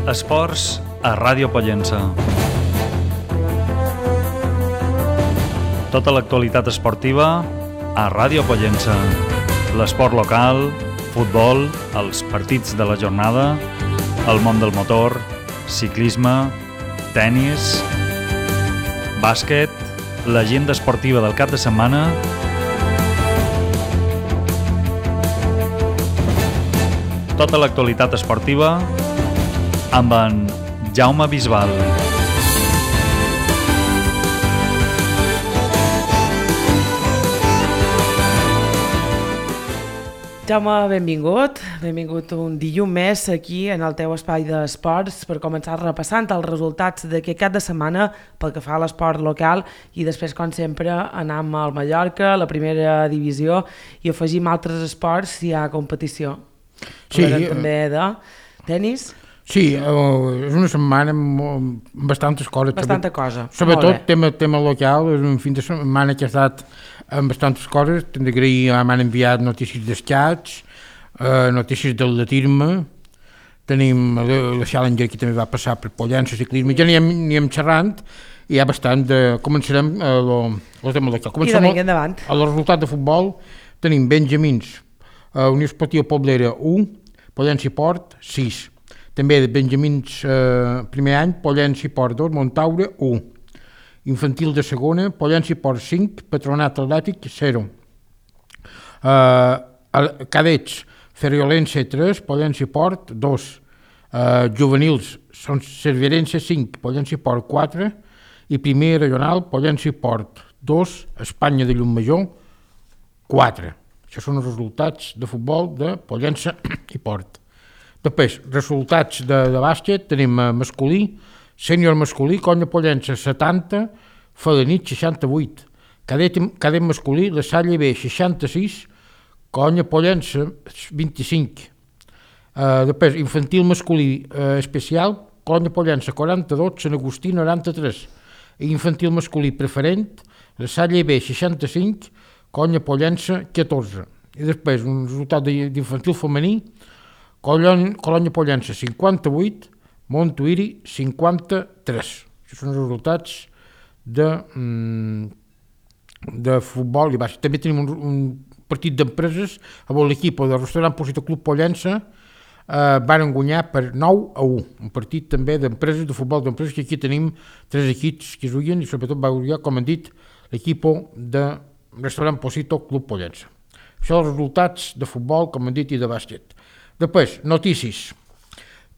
Esports a Ràdio Pollença. Tota l'actualitat esportiva a Ràdio Pollença. L'esport local, futbol, els partits de la jornada, el món del motor, ciclisme, tenis, bàsquet, l'agenda esportiva del cap de setmana, tota l'actualitat esportiva amb en Jaume Bisbal. Jaume, benvingut un dilluns més aquí en el teu espai d'esports per començar repassant els resultats d'aquest cap de setmana pel que fa a l'esport local i després, com sempre, anam al Mallorca, a la primera divisió i afegim altres esports si hi ha competició. Sí, també de tenis. Sí, és una setmana amb bastantes coses. Bastanta cosa. Sobretot tema local, és un fin de setmana que ha estat amb bastantes coses. Hem d'agrair, m'han enviat notícies d'escacs, notícies d'atletisme, tenim la Challenger que també va passar per Pollença, ciclisme, ja n'hi hem xerrant, i hi ha bastant de... Començarem el tema local. Comencem endavant. El resultat de futbol tenim Benjamins, Unió Esportiva Poblera 1, Pollença i Port 6. També de Benjamins primer any, Pollença i Port 2, Montaure 1. Infantil de segona, Pollença i Port 5, Patronat Atlètic 0. Cadets, Ferriolense 3, Pollença i Port 2. Juvenils, són Cerverense 5, Pollença i Port 4. I primer regional, Pollença i Port 2, Espanya de Llumajor 4. Això són els resultats de futbol de Pollença i Port. Després, resultats de bàsquet, tenim masculí, sènior masculí, Conya Pollença 70, Felanit 68, cadet masculí, la Salle B 66, Conya Pollença 25. Després, infantil masculí especial, Conya Pollença 42, Sant Agustí 93. Infantil masculí preferent, la Salle B 65, Conya Pollença 14. I després, un resultat d'infantil femení, Colònia Pollença 58, Montuïri 53. Això són els resultats de futbol i bàsquet. També tenim un partit d'empreses on l'equip del restaurant Posito Club Pollença van guanyar per 9-1. Un partit també d'empreses, de futbol d'empreses, que aquí tenim 3 equips que juguen i sobretot va guanyar, com han dit, l'equip de restaurant Posito Club Pollença. Això són els resultats de futbol, com han dit, i de bàsquet. Després, notícies.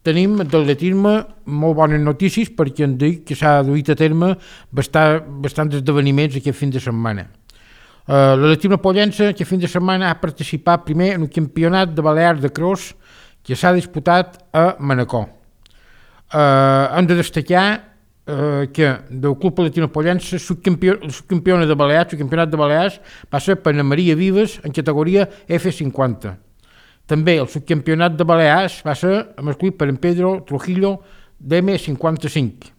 Tenim d'atletisme molt bones notícies perquè hem dit que s'ha duit a terme bastants esdeveniments aquest fin de setmana. L'atletisme Pollença aquest fin de setmana ha participat primer en un campionat de Balears de cross que s'ha disputat a Manacor. Hem de destacar que del Club Atletisme Pollença subcampiona de Balears, el campionat de Balears va ser per Ana Maria Vives en categoria F50. També el subcampionat de Balears va ser masculí per en Pedro Trujillo d'M55.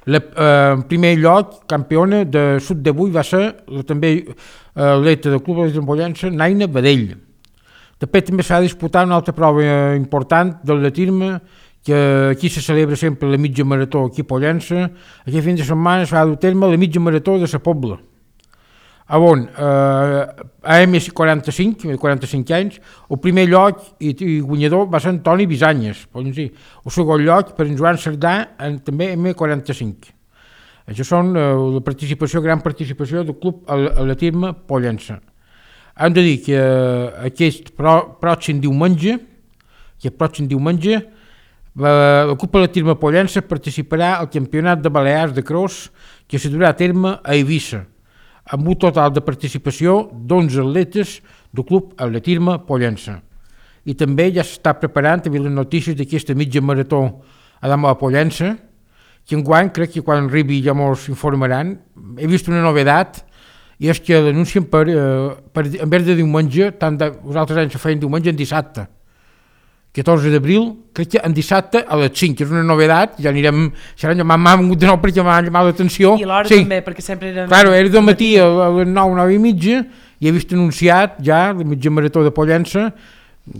En primer lloc, campiona de sud de 8 va ser també l'atleta del Club de Pollença, Naina Badell. També s'ha disputat una altra prova important d'atletisme, que aquí se celebra sempre la mitja marató aquí a Pollença. Aquest fin de setmana s'ha dur a terme la mitja marató de la Pobla. On a M45, 45 anys, el primer lloc i guanyador va ser Antoni Bisanyes, el segon lloc per en Joan Cerdà, també M45. Això són la gran participació del Club Atletisme Pollença. Hem de dir que aquest pròxim diumenge, el Club Atletisme Pollença participarà al Campionat de Balears de cross que se durà a terme a Eivissa, amb un total de participació d'11 atletes del Club Atletisme Pollença. I també ja s'està preparant també les notícies d'aquesta mitja marató a la Pollença, que enguany crec que quan arribi ja mos informaran. He vist una novedat, i és que l'anuncien en vez de diumenge, els altres anys se feien diumenge, en dissabte. 14 d'abril, crec que en dissabte a les 5, que és una novedat, ja anirem, m'ha vingut de nou perquè m'ha llamat l'atenció. I l'hora també, perquè sempre eren... Claro, era del matí a les 9, 9 i mitja, i he vist anunciat ja la mitja marató de Pollença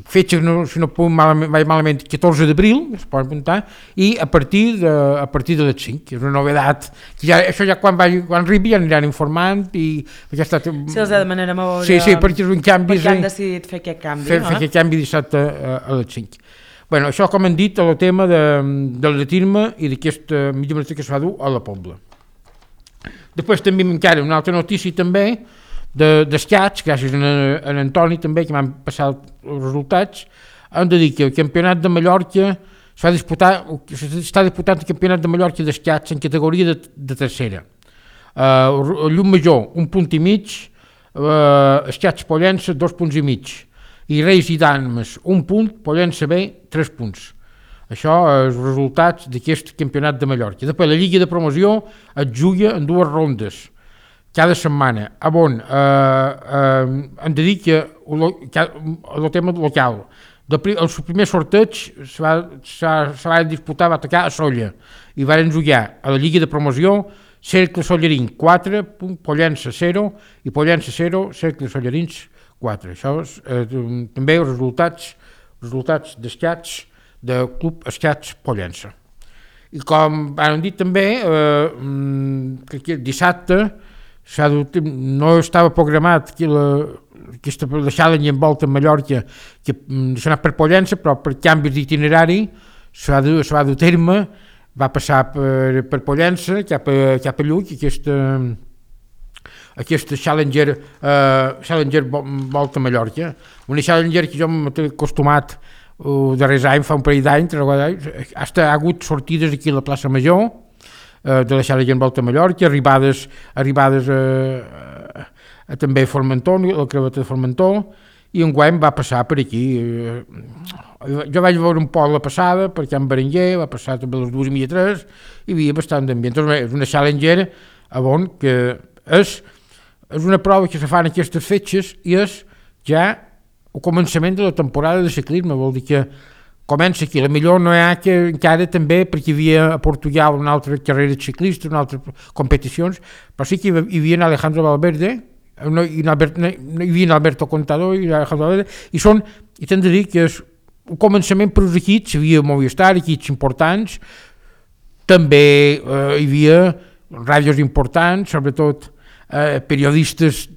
fetge, si no puc vaig malament, 14 d'abril, es pot apuntar, i a partir de les 5, és una novedat, que això ja quan arribi ja aniran informant, i ja està... Si els demanarem a veure... Sí, perquè és un canvi... Perquè han decidit fer aquest canvi, fer aquest canvi dissabte a les 5. Bueno, això, com hem dit, el tema del atletisme i d'aquesta mitja marató que es va dur a la Pobla. Després també encara una altra notícia també, d'escaig, gràcies a Antoni també, que m'han passat els resultats, hem de dir que el campionat de Mallorca s'està disputant el campionat de Mallorca d'escaig en categoria de tercera. Llum Major, 1,5 punts, escaig Pollença, 2,5 punts, i Reis i Dames, 1 punt, Pollença B, 3 punts. Això és els resultats d'aquest campionat de Mallorca. Després, la Lliga de Promoció es juga en 2 rondes, cada setmana, on hem de dir que el tema local, el primer sorteig se va disputar, va tocar a Solla, i van jugar a la Lliga de Promoció Cercle Sollarín 4, Pollença 0, i Pollença 0, Cercle Sollarins 4. Això és també els resultats d'escaig del Club Escaig Pollença. I com han dit també, dissabte no estava programat aquesta Challenge en volta a Mallorca, que s'ha anat per Pollença, però per canvis d'itinerari s'ha va dur terme, va passar per Pollença cap a Lluc, aquesta Challenger volta a Mallorca, una Challenger que jo m'he acostumat darrers anys, fa un parell d'anys, ha hagut sortides aquí a la plaça Major, de la Challenger volta a Mallorca, arribades també a Formentor, la creveta de Formentor, i enguany va passar per aquí. Jo vaig veure un poc la passada, per Can Berenguer, va passar també a les 2:30, hi havia bastant d'ambient. És una Challenger que és una prova que se fa en aquestes fetges i és ja el començament de la temporada de ciclisme, vol dir que comença aquí, millor no hi ha que encara també, perquè hi havia a Portugal una altra carrera ciclista, una altra competicions, però sí que hi havia Alejandro Valverde, hi havia Alberto Contador i Alejandro Valverde, i t'hem de dir que és un començament per als equips, hi havia Movistar, equips importants, també hi havia ràdios importants, sobretot periodistes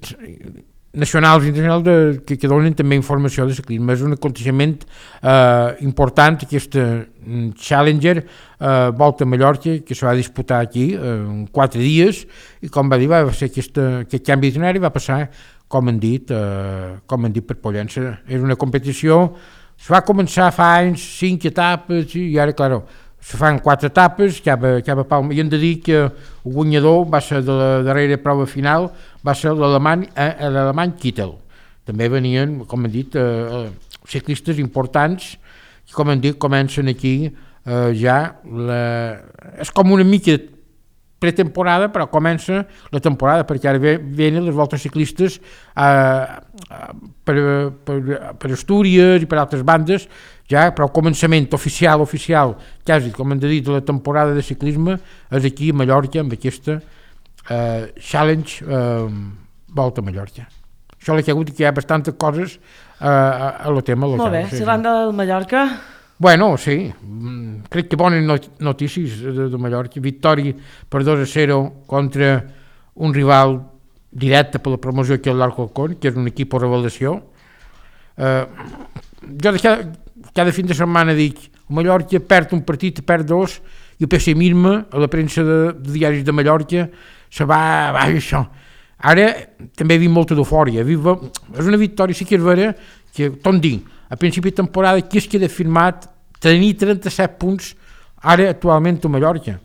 nacionals i internacionals que donen també informació de ciclisme. És un aconteixement important, aquesta Challenger volta a Mallorca, que se va disputar aquí en 4 dies, i com va dir, va ser aquest canvi d'itinerari, va passar, com han dit per Pollença. És una competició, se va començar fa anys, 5 etapes, i ara, clar, se fan 4 etapes, cada Palma, i hem de dir que el guanyador va ser de la darrera prova final, va ser l'alemany Kittel. També venien, com hem dit, ciclistes importants, que com hem dit, comencen aquí ja, és com una mica pretemporada, però comença la temporada, perquè ara venen les voltes ciclistes per Astúries i per altres bandes, ja, però el començament oficial, quasi, com hem dit, de la temporada de ciclisme és aquí a Mallorca, amb aquesta Challenge volta a Mallorca. Això l'he hagut, que hi ha bastantes coses a lo tema local. Molt bé, si van del Mallorca... Bueno, sí, crec que bones notícies de Mallorca. Victòria per 2-0 contra un rival directe per la promoció que és l'Alcorcón, que és un equip de revelació. Jo cada fin de setmana dic, Mallorca perd un partit, perd 2, i el pessimisme a la premsa de diaris de Mallorca se va això. Ara també hi ha molta d'eufòria. És una victòria, sí que és vera, que tot dic, a principi de temporada qui es queda firmat tenir 37 punts ara actualment a Mallorca.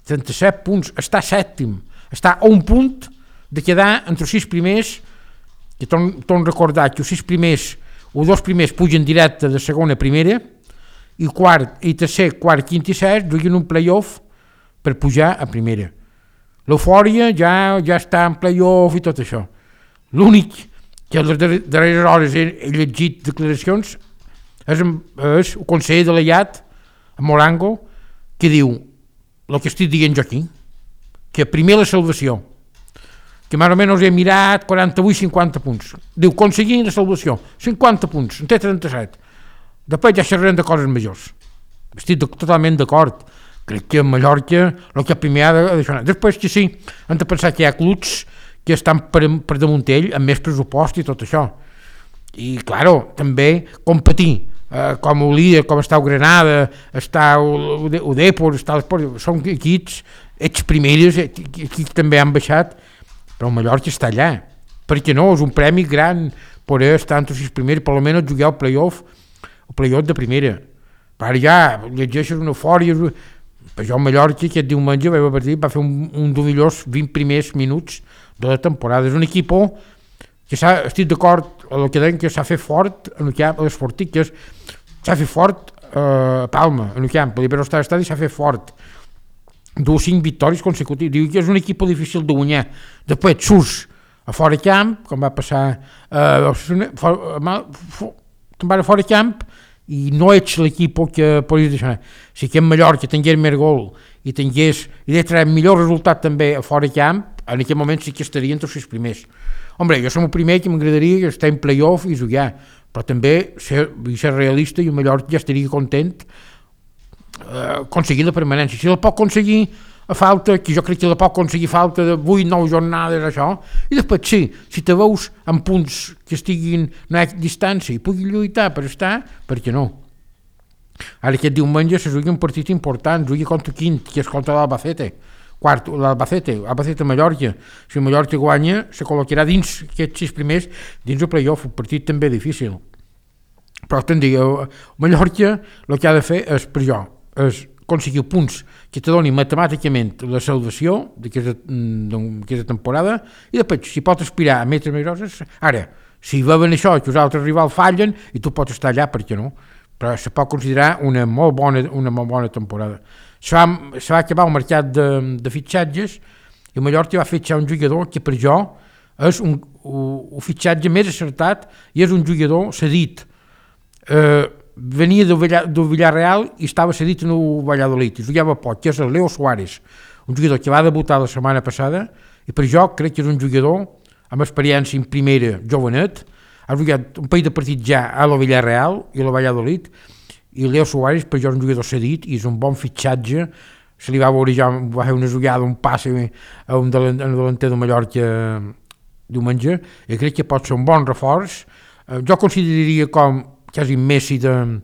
37 punts, està sèptim, està a un punt de quedar entre els 6 primers, que torno a recordar que els 6 primers, o 2 primers pugen directe de segona a primera, i tercer, quart, quint i sext juguen un play-off per pujar a primera. L'eufòria ja està en play-off i tot això. L'únic que a les darreres hores he llegit declaracions és el conseller de l'Aiat, Morango, que diu el que estic dient jo aquí, que primer la salvació. que més o menys he mirat 48-50 punts. Diu, aconseguint la salvació, 50 punts, en té 37. Després ja xerrem de coses majors. Estic totalment d'acord. Crec que a Mallorca el que primer ha de deixar. Després que sí, hem de pensar que hi ha clubs que estan per damunt ell amb més pressupost i tot això. I, claro, també competir com el líder, com està el Granada, està el Depor, està l'Esport, són equips, primeres, equips també han baixat, però el Mallorca està allà. Perquè no, és un premi gran poder estar entre els primers, per almenys jugar el playoff de primera. Per allà llegeixes una eufòria, per jo el Mallorca aquest diumenge va fer un dels millors 20 primers minuts de la temporada. És un equip que estic d'acord amb el que deien que s'ha fet fort en el camp, a les Fortiques, s'ha fet fort a Palma, en el camp, a l'Iberostar Estadi s'ha fet fort. 5 victòries consecutives. Diu que és un equip difícil de guanyar. Després surts a fora camp, com va passar te'n vas a fora camp i no ets l'equip que podries deixar. Si que en Mallorca tingués més gol i traure millor resultat també a fora camp, en aquell moment sí que estaria entre els primers. Hombre, jo som el primer que m'agradaria estar en playoff i jugar, però també ser realista i el Mallorca ja estaria content aconseguir la permanència. Si la pot aconseguir a falta, que jo crec que la pot aconseguir a falta de 8-9 jornades, això, i després sí, si te veus en punts que estiguin a distància i puguin lluitar per estar, per què no? Ara aquest diumenge se jugui un partit important, jugui contra quint, que és contra l'Albacete, Albacete-Mallorca. Si el Mallorca guanya, se col·locarà dins aquests 6 primers, dins el playoff, un partit també difícil. Però te'n dic, Mallorca el que ha de fer és, per jo, és aconseguir punts que te donin matemàticament la salvació d'aquesta temporada i després, si pot aspirar a metres majors, ara, si veuen això que els altres rivals fallen i tu pots estar allà, per què no? Però se pot considerar una molt bona temporada. Se va acabar el mercat de fitxatges i Mallorca va fitxar un jugador que per jo és un fitxatge més acertat i és un jugador cedit. Venia del Villarreal i estava cedit en el Valladolid i jugava poc, que és el Leo Suárez, un jugador que va debutar la setmana passada i per jo crec que és un jugador amb experiència en primera jovenet, ha jugat un parell de partits ja a la Villarreal i a la Valladolid i Leo Suárez per jo és un jugador cedit i és un bon fitxatge. Se li va veure ja, va fer una jugada, un passe a un delanter de Mallorca diumenge i crec que pot ser un bon reforç. Jo consideraria com quasi Messi de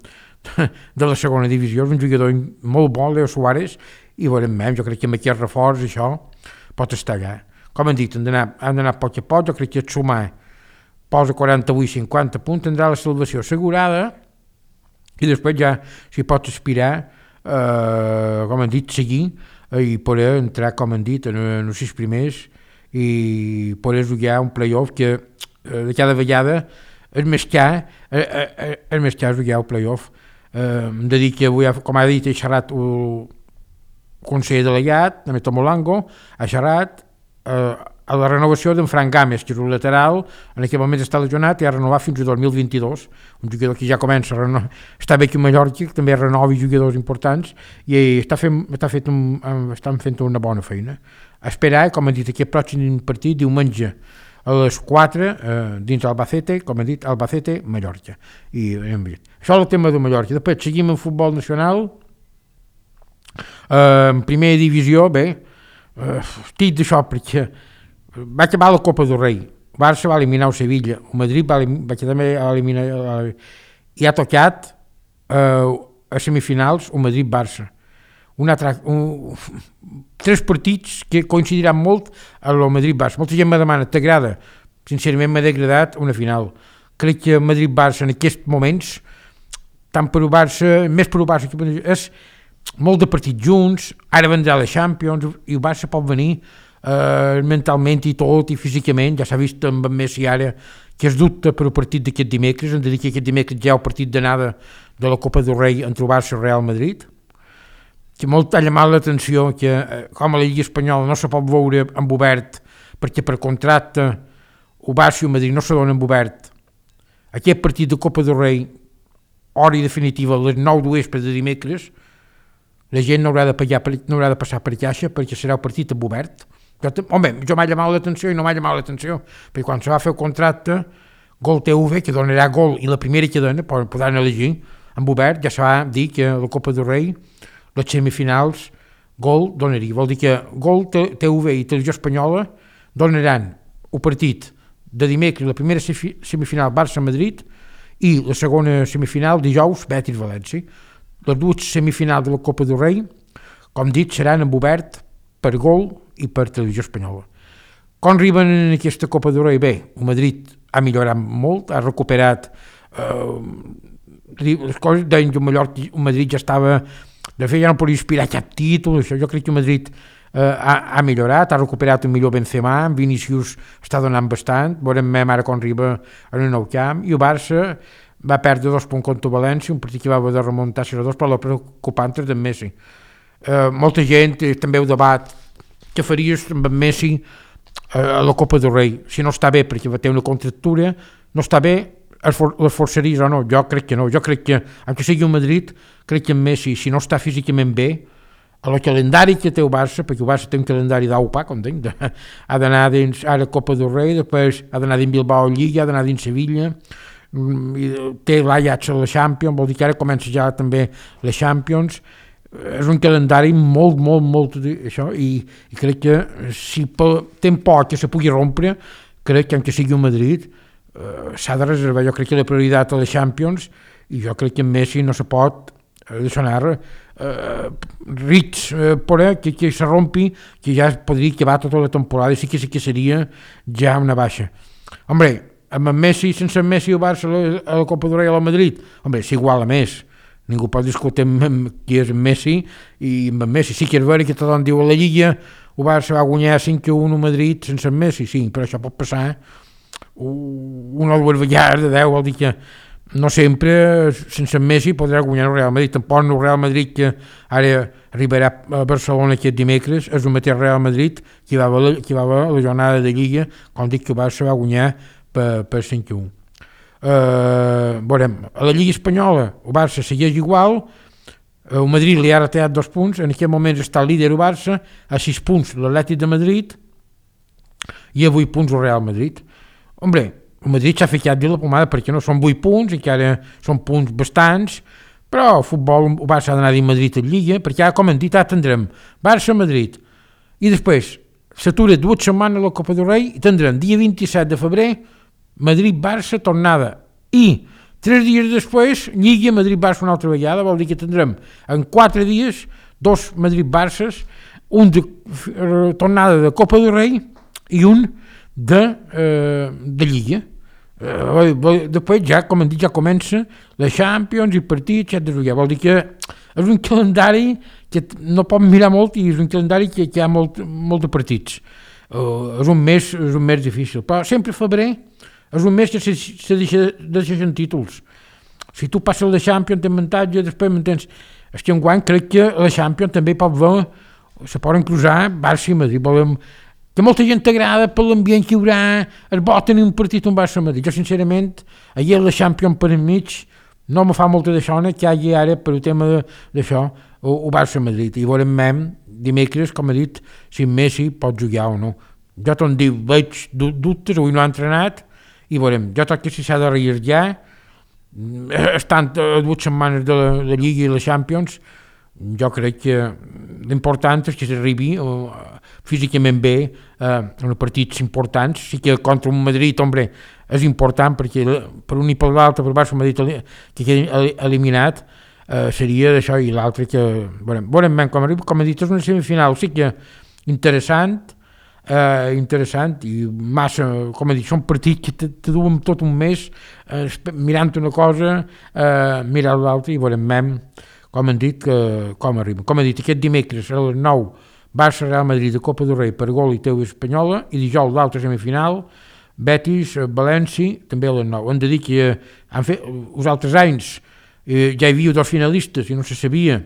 la segona divisió, és un jugador molt bo, Leo Suárez, i veurem més, jo crec que amb aquest reforç això pot estar allà. Com hem dit, hem d'anar a poc a poc, jo crec que sumar posa 48-50 punts, tindrà la salvació assegurada i després ja s'hi pot aspirar, com hem dit, seguir i poder entrar, com hem dit, en els 6 primers i poder jugar un playoff que de cada vegada és més car jugar el playoff. Hem de dir que avui, com ha dit, he xerrat el conseller delegat, de Metomolango, ha xerrat a la renovació d'en Fran Gámez, que és un lateral, en aquest moment està lesionat i ha renovat fins a 2022, un jugador que ja comença a renovar, està bé que Mallorca també renovi jugadors importants i estan fent una bona feina. Esperar, com hem dit, aquest pròxim partit diumenge a les 4 dins Albacete, com hem dit, Albacete-Mallorca. Això és el tema de Mallorca. Després seguim en futbol nacional, en primera divisió, bé, estic d'això perquè va acabar la Copa del Rei, Barça va eliminar el Sevilla, el Madrid va també eliminar i ha tocat a semifinals el Madrid-Barça. 3 partits que coincidiran molt amb el Madrid-Barça. Molta gent me demana, t'agrada? Sincerament m'ha degradat una final. Crec que el Madrid-Barça en aquests moments, tant per el Barça, més per el Barça que per el Barça, és molt de partits junts, ara vendrà la Champions i el Barça pot venir mentalment i tot i físicament, ja s'ha vist amb Messi ara que es dubta per el partit d'aquest dimecres, hem de dir que aquest dimecres ja el partit d'anada de la Copa del Rei entre el Barça i el Real Madrid, que molt ha llamat l'atenció que com a la Lliga Espanyola no se pot veure en obert perquè per contracte el Barça i el Madrid no se donen en obert. Aquest partit de Copa del Rei, hora i definitiva a les 9 de vespre de dimecres, la gent no haurà de passar per caixa perquè serà el partit en obert, Home, jo m'ha llamat l'atenció i no m'ha llamat l'atenció, perquè quan se va fer el contracte, Gol TV, que donarà Gol, i la primera que dona, podran elegir, en obert, ja se va dir que la Copa del Rei, les semifinals, Gol donaria. Vol dir que Gol TV i Televisió Espanyola donaran el partit de dimecres, la primera semifinal Barça-Madrid, i la segona semifinal dijous Betis-València. Les dues semifinals de la Copa del Rei, com dit, seran en obert per Gol i per Televisió Espanyola. Com arriben en aquesta Copa del Rei? Bé, el Madrid ha millorat molt, ha recuperat les coses, deien que el Madrid ja estava, de fet ja no podia aspirar cap títol, això. Jo crec que el Madrid ha millorat, ha recuperat un millor Benzema, en Vinícius està donant bastant, veurem ara com arriba en el nou camp, i el Barça va perdre 2 punts contra València, un partit que va haver de remuntar 0-2, però la preocupant és d'en Messi. Molta gent també ho debat, què faries amb en Messi a la Copa del Rei? Si no està bé perquè té una contractura, no està bé, les forçaries o no? Jo crec que no, jo crec que, aunque sigui el Madrid, crec que en Messi, si no està físicament bé, a el calendari que té el Barça, perquè el Barça té un calendari d'aupa, com dic, ha d'anar dins ara Copa del Rei, després ha d'anar dins Bilbao Lliga, ha d'anar dins Sevilla, té l'Ajax a la Champions, vol dir que ara comença ja també la Champions. És un calendari molt això, i crec que si té por que se pugui rompre, crec que sigui un Madrid s'ha de reservar. Jo crec que la prioritat a la Champions, i jo crec que en Messi no se pot deixar anar rits que se rompi, que ja podria acabar tota la temporada, i sí que seria ja una baixa. Hombre, amb en Messi, sense en Messi el Barça a la Copa del Rei a la Madrid, hombre, s'iguala més. Ningú pot discutir qui és en Messi i amb en Messi. Sí que és vera que tothom diu a la Lliga el Barça va guanyar 5-1 a Madrid sense en Messi, sí, però això pot passar una o dues vegades de 10, vol dir que no sempre sense en Messi podrà guanyar el Real Madrid. Tampoc el Real Madrid que ara arribarà a Barcelona aquest dimecres és el mateix Real Madrid que va haver la jornada de Lliga, com dic que el Barça va guanyar per 5-1. Veurem, a la Lliga Espanyola el Barça segueix igual, el Madrid li ha retallat 2 punts, en aquest moment està el líder el Barça, a 6 punts l'Atlètic de Madrid i a 8 punts el Real Madrid. Hombre, el Madrid s'ha ficat de la pomada perquè no són 8 punts, encara són punts bastants, però el futbol el Barça ha d'anar dins Madrid a Lliga, perquè ara, com hem dit, tindrem Barça-Madrid i després s'atura 2 setmanes a la Copa del Rei i tindrem dia 27 de febrer Madrid-Barça tornada i 3 dies després Lliga Madrid-Barça una altra vegada, vol dir que tindrem en 4 dies 2 Madrid-Barces, un de tornada de Copa del Rei i un de Lliga. Després ja, com hem dit, ja comença la Champions i partits, etc. Vol dir que és un calendari que no pot mirar molt i és un calendari que hi ha molt de partits. És un mes difícil, però sempre febrer és un mes que se deixen títols. Si tu passes la Champions tens avantatge, després m'entens. És que enguany crec que la Champions també pot veure, se poden cruzar Barça i Madrid. Volem que molta gent t'agrada per l'ambient que hi haurà, es vol tenir un partit un Barça a Madrid. Jo sincerament, ahir la Champions per enmig no me fa molta d'això, que hi hagi ara per el tema d'això el Barça a Madrid. I veurem dimecres, com he dit, si Messi pot jugar o no. Jo t'ho dic, veig dubtes, avui no ha entrenat, i veurem, jo crec que si s'ha de rearribar, estant a 2 setmanes de la Lliga i la Champions, jo crec que l'important és que s'arribi físicament bé en partits importants. Sí que contra un Madrid, hombre, és important perquè per un i per l'altre, per Barça Madrid que quedi eliminat, seria d'això, i l'altre que veurem com arriba. Com he dit, és una semifinal, sí que interessant i massa, com he dit, són partits que te duen tot un mes mirant una cosa, mirant l'altra, i veurem, com hem dit, com arriba. Com he dit, aquest dimecres a les 9 Barça Real Madrid de Copa del Rei per Gol i TV Espanyola, i dijous l'altra semifinal Betis València també a les 9. Hem de dir que els altres anys ja hi havia 2 finalistes i no se sabia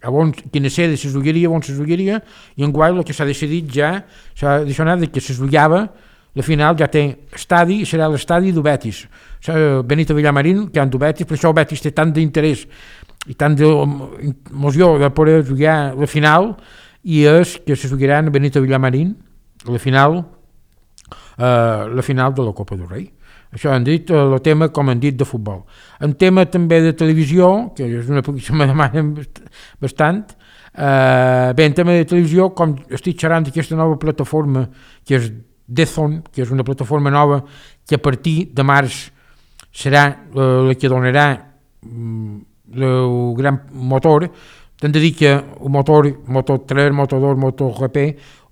quina sede se jugaria, on se jugaria, i enguany el que s'ha decidit ja s'ha deixat que se jugava la final, ja té estadi i serà l'estadi del Betis, Benito Villamarín, que han del Betis. Per això el Betis té tant d'interès i tant d'emoció de poder jugar la final, i és que se jugaran a Benito Villamarín la final de la Copa del Rei. Això han dit el tema, com han dit, de futbol. En tema també de televisió, que és una cosa que me demanen bastant, bé, en tema de televisió, com estic xerrant d'aquesta nova plataforma, que és DAZN, que és una plataforma nova que a partir de març serà la que donarà el gran motor, t'han de dir que el motor 3, motor 2, motor GP,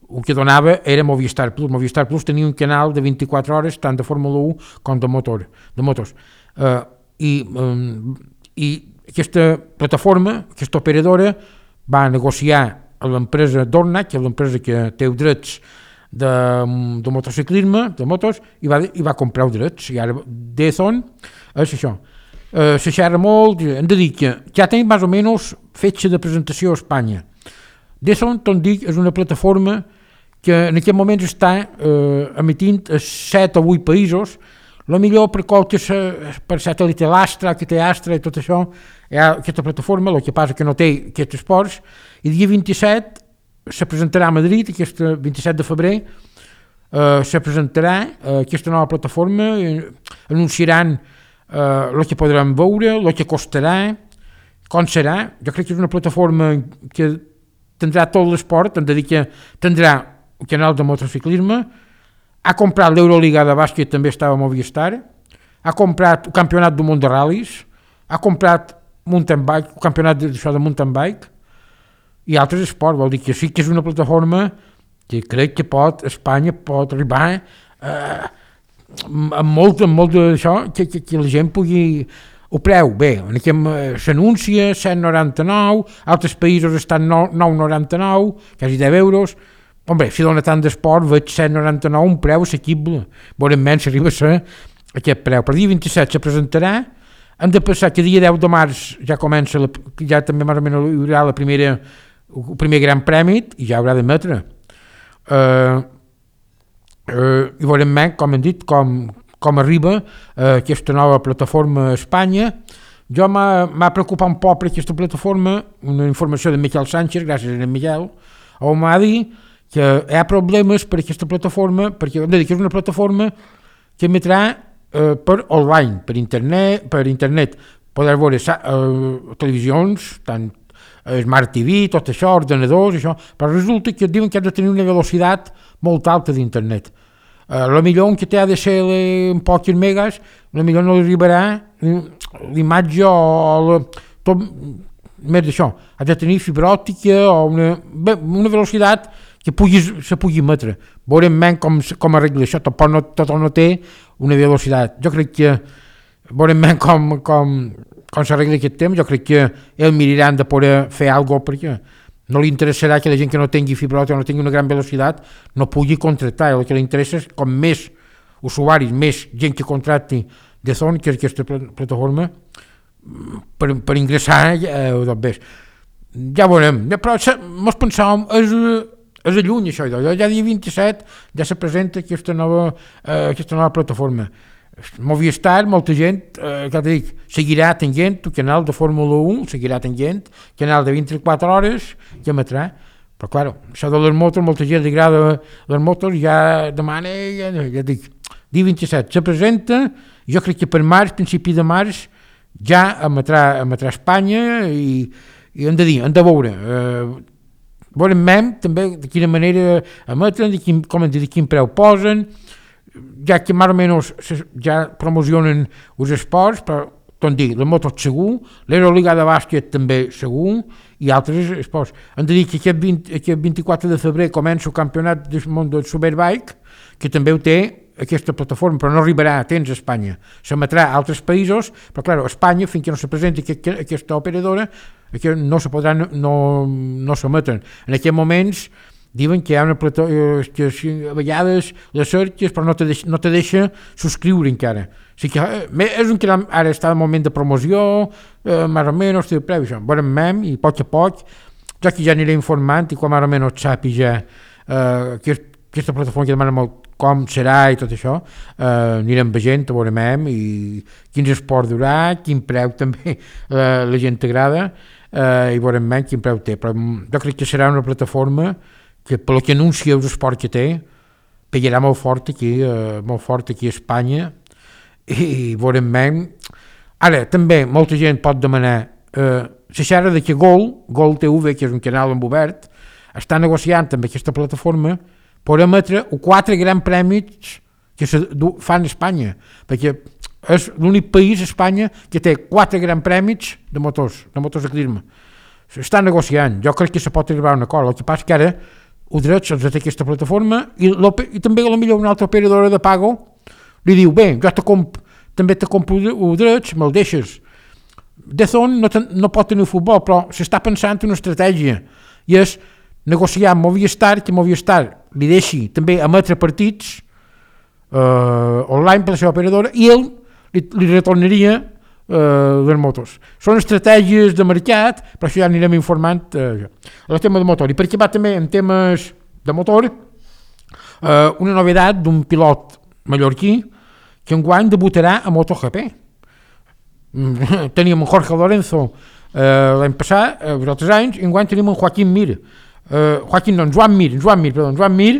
el que donava era Movistar Plus. Movistar Plus tenia un canal de 24 hores tant de Fórmula 1 com de motors. I aquesta plataforma, aquesta operadora, va negociar amb l'empresa Dorna, que és l'empresa que té drets de motociclisme, de motos, i va comprar els drets. I ara DAZN és això. Se xerra molt, hem de dir que ja tenim més o menys fetge de presentació a Espanya. DAZN, tot dic, és una plataforma que en aquest moment està emitint a 7 o 8 països, millor per satèl·lit l'Astra, que té Astra i tot això, hi ha aquesta plataforma, el que passa que no té aquests esports, i dia 27 se presentarà a Madrid, aquest 27 de febrer, se presentarà aquesta nova plataforma, anunciaran el que podran veure, el que costarà, com serà. Jo crec que és una plataforma que tindrà tot l'esport, hem de dir que tindrà un canal de motociclisme, ha comprat l'Euroliga de bàsquet, també estava a Movistar, ha comprat el campionat del món de ral·lis, ha comprat mountain bike, el campionat de mountain bike i altres esports. Vol dir que sí que és una plataforma que crec que Espanya pot arribar amb molt d'això, que la gent pugui... El preu, bé, s'anuncia 7,99, altres països estan 9,99, quasi 10 euros. Hombre, si dona tant d'esport, veig 7,99, un preu assequible. Veurem menys si arriba a ser aquest preu. Per dia 27 se presentarà, hem de pensar que dia 10 de març ja comença, ja també més o menys hi haurà el primer gran premi i ja haurà d'emetre. I veurem menys, com hem dit, com arriba aquesta nova plataforma a Espanya. Jo m'ha preocupat un poc per aquesta plataforma, una informació de Miquel Sánchez, gràcies a Miquel, on m'ha dit que hi ha problemes per aquesta plataforma, perquè hem de dir que és una plataforma que emetrà per online, per internet, poder veure televisions, tant Smart TV, tot això, ordenadors, això, però resulta que diuen que has de tenir una velocitat molt alta d'internet. Millor un que té ADSL en pocs megas, millor no arribarà l'imatge o tot més d'això. Has de tenir fibra òptica o una velocitat que se pugui emetre. Veurem menys com arregla això, tot no té una velocitat. Jo crec que veurem menys com s'arregla aquest temps. Jo crec que ells miraran de poder fer alguna cosa, perquè no li interessarà que la gent que no tingui fibra òptica o no tingui una gran velocitat no pugui contractar. El que li interessa és com més usuaris, més gent que contracti DAZN, que és aquesta plataforma, per ingressar doncs ja veurem. Però mos pensàvem, és a lluny això, ja dia 27 ja se presenta aquesta nova plataforma. Movistar, molta gent, que dic, seguirà tenint el canal de Fórmula 1, seguirà tenint canal de 24 hores que emetrà. Però, clar, això de les motos, molta gent li agrada les motos, ja demana, ja dic, dia 27 se presenta, jo crec que per març, principi de març, ja emetrà a Espanya i hem de dir, hem de veure. Veurem també de quina manera emetren, de quin preu posen, ja que més o menys ja promocionen els esports, però tot dir, les motos segur, l'Euroliga de bàsquet també segur i altres esports. Hem de dir que aquest 24 de febrer comença el campionat del món del Superbike, que també ho té aquesta plataforma, però no arribarà a temps a Espanya. S'emetrà a altres països, però clar, a Espanya, fins que no se presenti aquesta operadora, no se podrà, no s'emeten. En aquests moments diuen que hi ha una plataforma que a vegades les cerques però no te deixa subscriure encara. O sigui que és un que ara està en moment de promoció, més o menys, té preu, això. Veurem i a poc, ja que ja aniré informant i quan més o menys sàpiga aquesta plataforma que demana molt com serà i tot això, anirem veient, veurem i quins esports durà, quin preu també la gent t'agrada i veurem quin preu té. Però jo crec que serà una plataforma que pel que anuncia els esports que té, pegarà molt fort aquí a Espanya i veurem més. Ara, també, molta gent pot demanar la xarra de que Gol TV, que és un canal en obert, està negociant amb aquesta plataforma per emetre 4 grans premis que se fan a Espanya, perquè és l'únic país, Espanya, que té 4 grans premis de motociclisme. S'està negociant, jo crec que se pot arribar a un acord, el que passa que ara els drets els té aquesta plataforma i també potser una altra operadora de pago li diu, bé, jo també te compro els drets, me'l deixes. DAZN no pot tenir futbol, però s'està pensant en una estratègia i és negociar amb Movistar, que Movistar li deixi també emetre partits online per la seva operadora i ell li retornaria les motos. Són estratègies de mercat, però això ja anirem informant el tema de motor. I per què va també en temes de motor una novedat d'un pilot mallorquí que enguany debutarà a MotoGP. Teníem Jorge Lorenzo l'any passat, els altres anys, i enguany tenim en Joan Mir,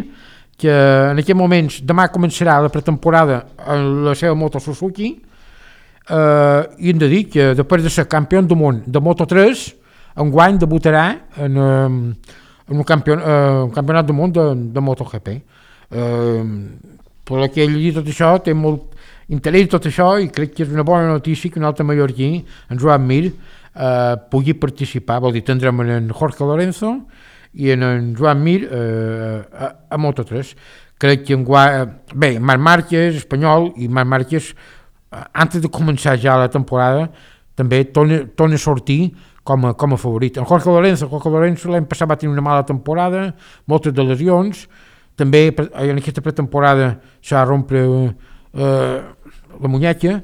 que en aquest moments demà començarà la pretemporada en la seva moto Suzuki, i hem de dir que després de ser campió del món de Moto3 enguany debutarà en un campionat del món de MotoGP. Per que ell llegit tot això té molt interès tot això i crec que és una bona notícia que un altre mallorquí, en Joan Mir, pugui participar. Vol dir, tindrem en Jorge Lorenzo i en Joan Mir a Moto3. Crec que bé, Marc Márquez, espanyol, i Marc Márquez antes de començar ja la temporada també torna a sortir com a favorit. En Jorge Lorenzo l'any passat va tenir una mala temporada, moltes de lesions, també en aquesta pretemporada s'ha rompre la muñeca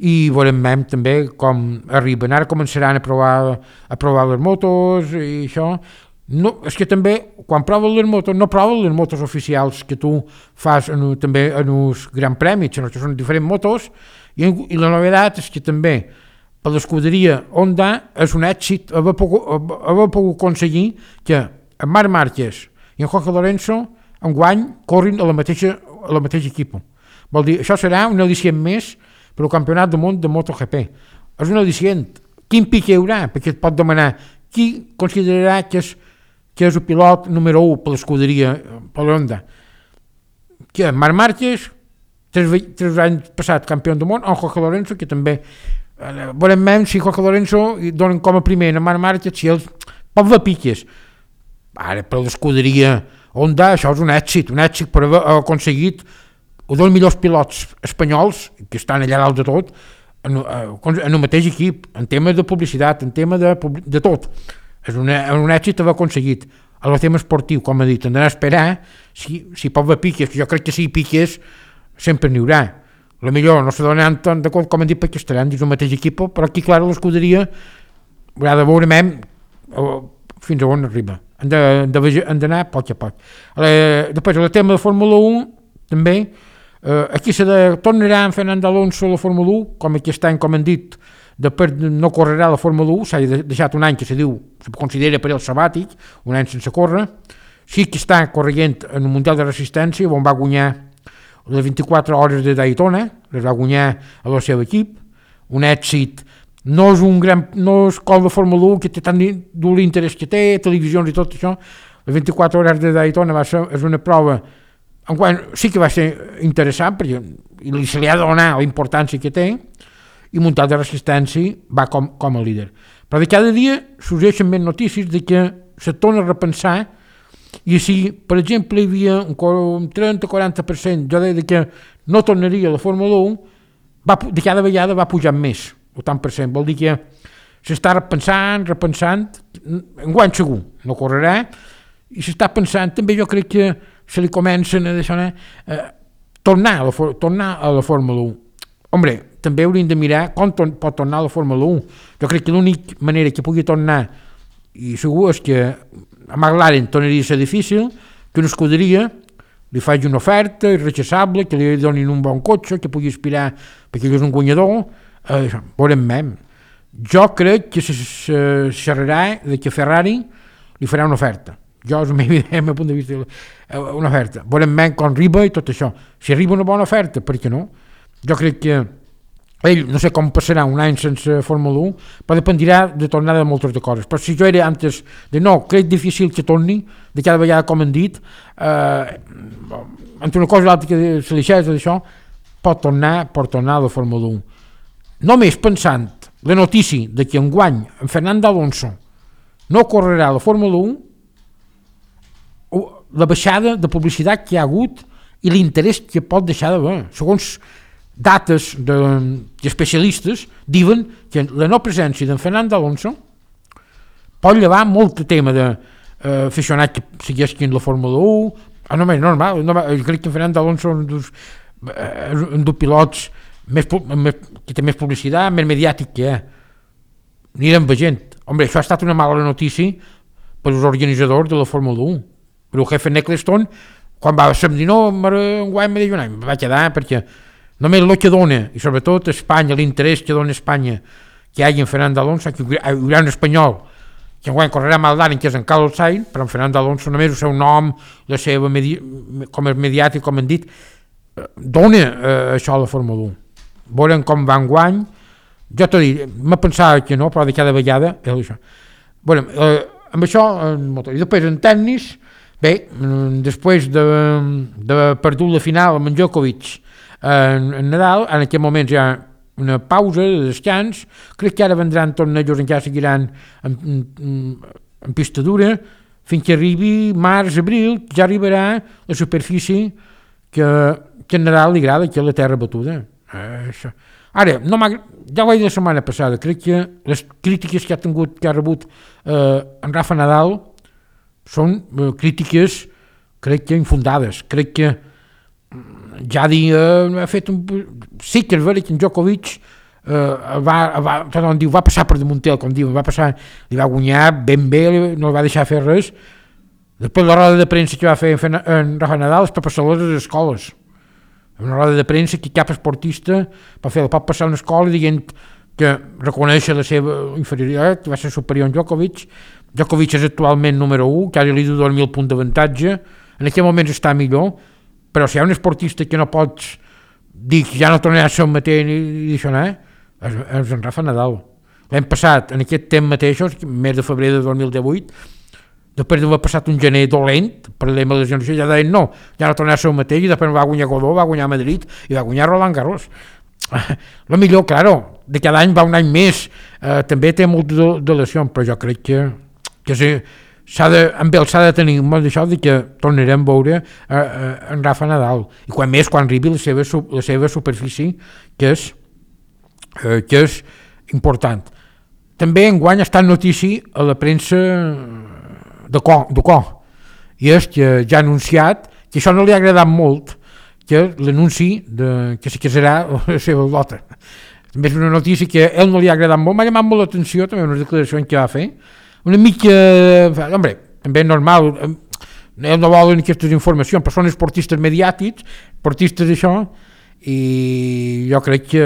i veurem també com arriben. Ara començaran a provar les motos i això. No, és que també quan proven les motos no proven les motos oficials que tu fas també en uns grans premis, sinó que són diferents motos i la novetat és que també per l'escuderia Honda és un èxit haver pogut aconseguir que en Marc Márquez i en Jorge Lorenzo enguany corrin a la mateixa equip. Vol dir, això serà un al·licient més per al campionat del món de MotoGP. És un al·licient. Quin pic hi haurà? Perquè et pot demanar qui considerarà que és el pilot número 1 per l'escuderia, per l'Honda. Que Marc Márquez, 3 anys passat campió del món, o Jorge Lorenzo, que també veurem si Jorge Lorenzo donen com a primer a Marc Márquez, si ells pot haver piques. Ara, per l'escuderia Honda, això és un èxit per haver aconseguit un dels millors pilots espanyols, que estan allà dalt de tot, en el mateix equip, en temes de publicitat, en temes de tot. És un èxit haver aconseguit. El tema esportiu, com he dit, hem d'anar a esperar si pot haver piques, que jo crec que si piques sempre n'hi haurà. A millor no se donen de compte, com hem dit, perquè estaran dins el mateix equip, però aquí, clar, l'escuderia haurà de veure fins a on arriba. Hem d'anar a poc a poc. Després, el tema de Fórmula 1, també, aquí tornarà en Fernando Alonso a la Fórmula 1, com aquest any, com hem dit, després no correrà la Fórmula 1, s'ha deixat un any que se considera per el sabàtic, un any sense córrer. Sí que està corrent en el Mundial de Resistència, on va guanyar les 24 hores de Daytona, les va guanyar a el seu equip, un èxit. No és com la Fórmula 1 que té tant l'interès que té, televisions i tot això. Les 24 hores de Daytona és una prova sí que va ser interessant perquè se li ha de donar la importància que té, i Mundial de Resistència va com a líder. Però de cada dia sorgeixen més notícies de que se torna a repensar i si, per exemple, hi havia un 30-40%, jo deia que no tornaria a la Fórmula 1, de cada vegada va pujar més, el tant per cent. Vol dir que s'està repensant, enguany segur, no correrà, i s'està pensant, també jo crec que se li comencen a deixar tornar a la Fórmula 1. Hombre, també hauríem de mirar com pot tornar a la Fórmula 1. Jo crec que l'única manera que pugui tornar, i segur, és que a McLaren tornaria a ser difícil, que una escuderia li faci una oferta irrechaçable, que li donin un bon cotxe, que pugui aspirar perquè ell és un guanyador. Veurem. Jo crec que se xerrarà que Ferrari li farà una oferta. Jo, és el meu punt de vista, una oferta. Volem menys quan arriba i tot això. Si arriba una bona oferta, per què no? Jo crec que ell, no sé com passarà un any sense Fórmula 1, però dependirà de tornar de moltes de coses. Però si jo era antes de no, crec difícil que torni, de cada vegada, com han dit, entre una cosa i l'altra que se li xerxa d'això, pot tornar a la Fórmula 1. Només pensant la notícia de que enguany en Fernando Alonso no correrà a la Fórmula 1, la baixada de publicitat que hi ha hagut i l'interès que pot deixar d'haver. Segons dates d'especialistes diuen que la no presència d'en Fernando Alonso pot llevar molt tema d'aficionats que segueixin la Fórmula 1. Només normal, jo crec que en Fernando Alonso és un dels pilots que té més publicitat, més mediàtic que hi ha. Anirem veient. Hombre, això ha estat una mala notícia per als organitzadors de la Fórmula 1. Però el jefe Ecclestone, quan va dir no, enguany me diu un any, va quedar perquè només el que dona, i sobretot Espanya, l'interès que dona Espanya que hi hagi en Fernando Alonso, que hi haurà un espanyol que enguany correrà amb el Dani, que és en Carlos Sainz, però en Fernando Alonso només el seu nom, la seva com és mediàtic, com han dit, dona això a la Fórmula 1. Veurem com va enguany. Jo t'ho dic, m'ha pensat que no, però de cada vegada és això. Bueno, amb això, i després en tennis, bé, després de perdut la final amb en Djokovic en Nadal, en aquest moment hi ha una pausa de descans, crec que ara vendran tornejos, encara seguiran en pista dura, fins que arribi març, abril, ja arribarà la superfície que en Nadal li agrada, que és la terra batuda. Això. Ara, ja ho vaig dir la setmana passada, crec que les crítiques que ha rebut en Rafa Nadal són crítiques, crec que infundades. Crec que ja ha fet sí que és vera que en Djokovic va passar per damunt ell, com diuen, li va guanyar ben bé, no li va deixar fer res. Després la roda de premsa que va fer en Rafa Nadal és per passar-les a les escoles. Una roda de premsa que cap esportista pot passar a una escola dient que reconeix la seva inferioritat, que va ser superior a Djokovic. Djokovic és actualment número 1, que ara li du 2.000 punts d'avantatge, en aquest moment està millor, però si hi ha un esportista que no pots dir que ja no tornarà a ser un mateix i això, és en Rafa Nadal. L'hem passat en aquest temps mateixos, mes de febrer de 2018, després d'haver passat un gener dolent, per la lesions, ja deien no, ja no tornarà a ser un mateix, i després va guanyar Godó, va guanyar Madrid i va guanyar Roland Garros. El millor, claro, de cada any va un any més, també té moltes lesions, però jo crec que amb ell s'ha de tenir molt d'això de que tornarem a veure en Rafa Nadal, i quan arribi la seva superfície, que és important. També enguany ha estat notícia a la premsa de co, i és que ja ha anunciat que això no li ha agradat molt, que l'anunci que se casarà la seva lota. També és una notícia que a ell no li ha agradat molt, m'ha llamat molt l'atenció també unes declaracions que va fer, una mica, hombre, també és normal, ells no volen aquestes informacions, però són esportistes mediàtics, esportistes d'això, i jo crec que,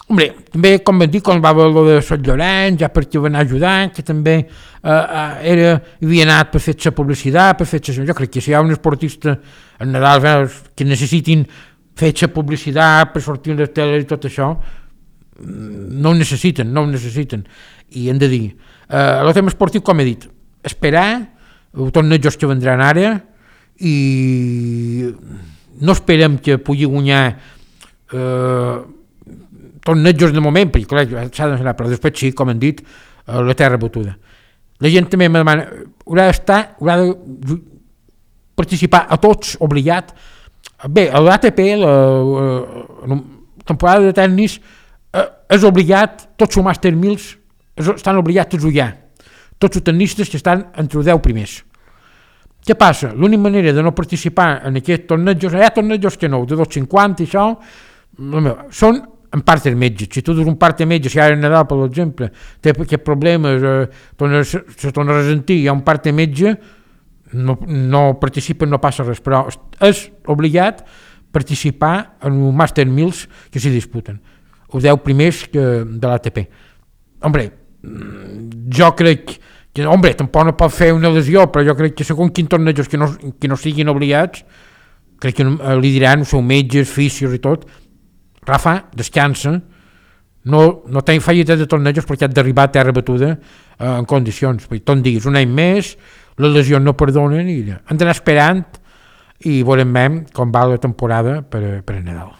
hombre, també, com vam dir, quan va haver el de Sant Llorenç, ja perquè va anar ajudant, que també havia anat per fer-se publicitat, jo crec que si hi ha un esportista en Nadal que necessitin fer-se publicitat per sortir en les teles i tot això, no ho necessiten, i hem de dir, el tema esportiu, com he dit, esperar els tornejos que vendran ara, i no esperem que pugui guanyar tornejos de moment, perquè clar, s'ha d'anar, però després sí, com hem dit, la terra batuda. La gent també me demana, haurà de participar a tots, obligat. Bé, a l'ATP, la temporada de tennis, és obligat, tots els Master 1000 estan obligats a jugar, tots els tennistes que estan entre els 10 primers. Què passa? L'única manera de no participar en aquests tornejos, hi ha tornejos que no, de 250 i això, són en part dels metges. Si tu dius un part de metge, si ara Nadal, per exemple, té aquest problema, se torna a ressentir, hi ha un part de metge, no participen, no passa res, però és obligat participar en un Master 1000 que s'hi disputen, els 10 primers de l'ATP. Hombre, jo crec Hombre, tampoc no pot fer una lesió, però jo crec que segons quins tornejos que no siguin obligats, crec que li diran els seus metges, fisios i tot, Rafa, descansa, no tenc fallites de tornejos perquè has d'arribar a terra batuda en condicions. Tot diguis, un any més, les lesions no perdonen i hem d'anar esperant i veurem com va la temporada per a Nadal.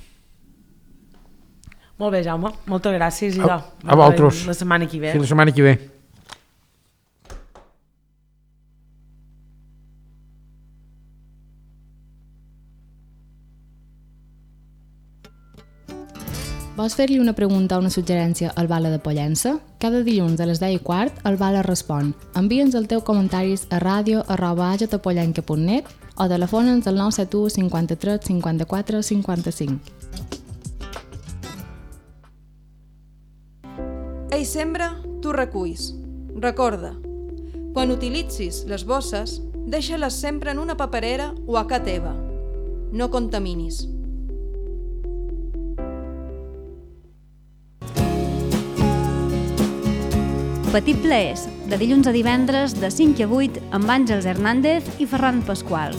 Molt bé, Jaume, moltes gràcies. A vosaltres. La setmana que ve. Sí, la setmana que ve. Vols fer-li una pregunta o una suggerència al Bala de Pollença? Cada dilluns a les 10:15 el Bala respon. Envia'ns els teus comentaris a radio@agetapollenca.net o telefona'ns al 971 53 54 55. Ell sembra, tu reculls. Recorda, quan utilitzis les bosses, deixa-les sempre en una paperera o a casa teva. No contaminis. Petit Plaers, de dilluns a divendres de 5 a 8 amb Àngels Hernández i Ferran Pasqual.